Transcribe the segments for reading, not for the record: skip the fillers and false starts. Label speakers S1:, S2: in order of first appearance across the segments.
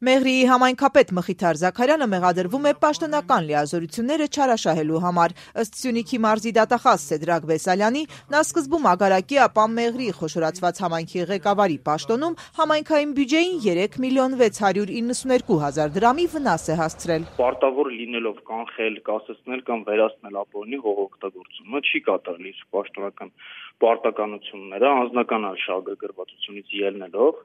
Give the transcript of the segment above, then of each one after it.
S1: Մեղրիի համայնքապետ Մխիթար Զաքարյանը մեղադրվում է պաշտոնական լիազորությունները չարաշահելու համար։ Ըստ Սյունիքի մարզի դատախազ Սեդրակ Բեսալյանի, նա սկզբում Ագարակի, ապա Մեղրիի խոշորացված համայնքի ղեկավարի պաշտոնում համայնքային բյուջեին 3.692.000 դրամի վնաս է հասցրել։
S2: Պարտավոր լինելով կանխել, կասեցնել կամ վերացնել ապօրինի հողօգտագործումը չի կատարել իր պաշտոնական պարտականությունները անձնական արշավագրվածությունից ելնելով,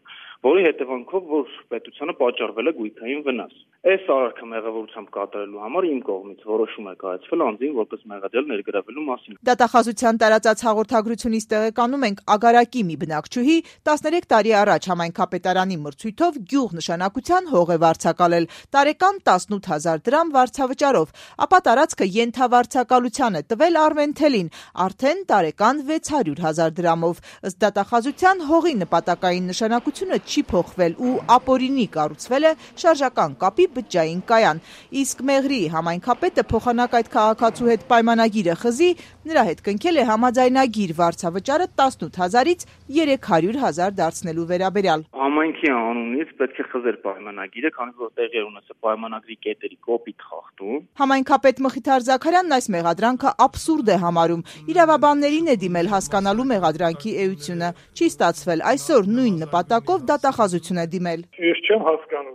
S2: որի հետևանքով որ պետությանը պատճառվել է գույքային վնաս։ Այս արարքը մեղավորությամբ կատարելու համար իմ կողմից որոշում է կայացվել անձին որպես մեղադրյալ ներգրավելու մասին։
S1: Դատախազության տարածած հաղորդագրությունից տեղեկանում ենք Ագարակի մի բնակչուհի 13 տարի առաջ համայնքապետարանի մրցույթով գյուղ նշանակության հող է վարձակալել տարեկան 18,000 դրամ վարձավճարով, ապա տարածքը ենթավարձակալության է տվել Արմենթելին արդեն տարեկան 600,000 դրամով։ Ըստ դատախազության հողի նպատակային նշանակությունը չի փոխվել ու ապօրինի կառուցվել է շարժական կապի բջջային կայան։ Իսկ Մեղրիի համայնքապետը փոխանակ այդ քաղաքացու հետ պայմանագիրը խզի, նրա հետ կնքել է համաձայնագիր վարձավճարը 18,000-ից 300,000 դարձնելու վերաբերյալ։
S2: Համայնքի անունից պետք է խզեր պայմանագիրը, քանի որ տեղի էր ունեցել պայմանագրի կետերի կոպիտ խախտում։
S1: Համայնքապետ Մխիթար Զաքարյանն այս մեղադրանքը աբսուրդ է համարում։ Իրավաբաններին է դիմել հասկանալու մեղադրանքի էությունը։ Չի ստացվել, այսօր նույն նպատակով դատախազություն է դիմել։
S3: Ես չեմ հասկանում,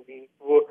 S3: որ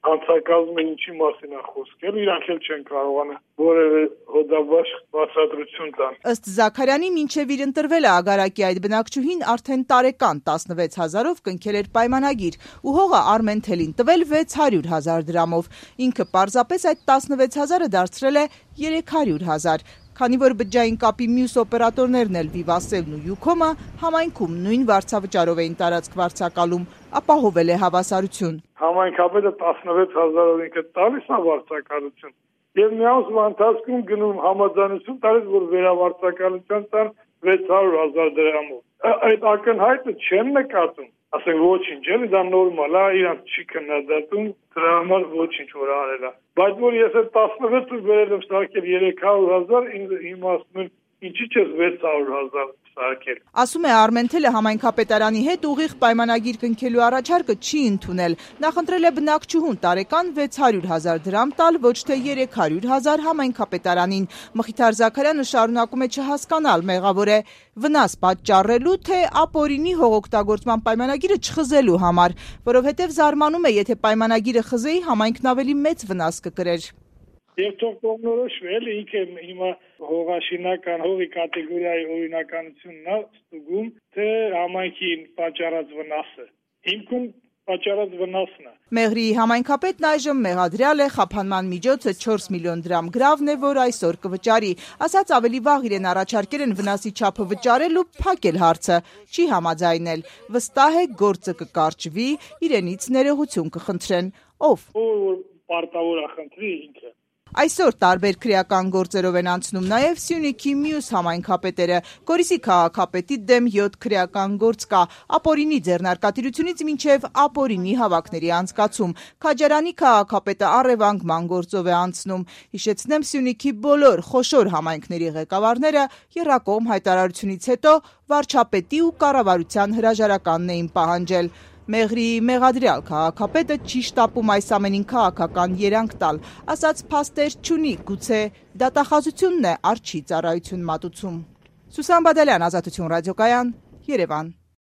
S3: հանցակազմը ինչի մասին է խոսքել, իրանք էլ չեն կարողանում որևէ հոդաբաշխ բացատրություն տան։
S1: Ըստ Զաքարյանի, մինչև իր ընտրվել է Ագարակի այդ բնակչուհին արդեն տարեկան 16,000-ով կնքել էր պայմանագիր ու հողը Արմենթելին տվել 600,000 դրամով։ Ինքը պարզապես այդ 16,000-ը դարձրել է 300,000։ Քանի որ բջջային կապի մյուս օպերատորներն էլ Վիվասելն ու Յուքոմը համայնքում նույն վարձավճարով էին տարածք վարձակալում, ապահովել է հավասարություն։
S3: Համայնքապետը 16,000-ով ինքը տալիս է վարձակալություն եւ մի ամսվա ընթացքում գնում համաձայնություն տալիս, որ վերավարձակալության տան 600,000 դրամով։ Այդ ակնհայտը չեն նկատում։ Ասենք ոչինչ, էլի դա նորմալ է, իրանք չի քննադատում, դրա համար ոչինչ որ արել է։ Բայց որ ես այդ 16-ը վերել եմ սարքել 300,000, իմ ասում են, ինչի՞ չես 600,000 սարքել։
S1: Ասում է Արմենթելը համայնքապետարանի հետ ուղիղ պայմանագիր կնքելու առաջարկը չի ընդունել։ Նախընտրել է բնակչուհուն տարեկան 600,000 դրամ տալ, ոչ թե 300,000 համայնքապետարանին։ Մխիթար Զաքարյանը շարունակում է չհասկանալ, մեղավոր է վնաս պատճառելու, թե ապօրինի հողօգտագործման պայմանագիրը չխզելու համար, որովհետև զարմանում է, եթե պայմանագիրը խզեի, համայնքն ավելի մեծ վնաս կկրեր։
S3: Եվ թող կողմնորոշվի, էլի ինքը հիմա հողաշինական հողի կատեգորիայի օրինականությունն է ստուգում, թե համայնքին պատճառած վնասը։ Հիմքում պատճառած վնասն է։
S1: Մեղրիի համայնքապետն այժմ մեղադրյալ է, խափանման միջոցը 4 միլիոն դրամ գրավն է, որ այսօր կվճարի։ Ասած ավելի վաղ իրեն առաջարկել են վնասի չափը վճարել ու փակել հարցը։ Չի համաձայնել։ Վստահ է գործը կկարճվի, իրենից ներողություն կխնդրեն։ Ով?
S3: Որ պարտավոր է խնդրի ինքը։
S1: Այսօր տարբեր քրեական գործերով են անցնում նաև Սյունիքի մյուս համայնքապետերը։ Գորիսի քաղաքապետի դեմ 7 քրեական գործ կա, ապօրինի ձեռնարկատիրությունից մինչև ապօրինի հավաքների անցկացում։ Քաջարանի քաղաքապետը առևանգման գործով է անցնում։ Հիշեցնեմ, Սյունիքի բոլոր խոշոր համայնքների ղեկավարները եռակողմ հայտարարությունից հետո վարչապետի ու կառավարության հրաժարականն էին պահանջել։ Մեղրիի մեղադրյալ քաղաքապետը չի շտապում այս ամենին քաղաքական երանգ տալ, ասաց փաստեր չունի, գուցե դատախազությունն է արջի ծառայություն մատուցում։ Սուսան Բադալյան, Ազատություն ռադիոկայան, Երևան։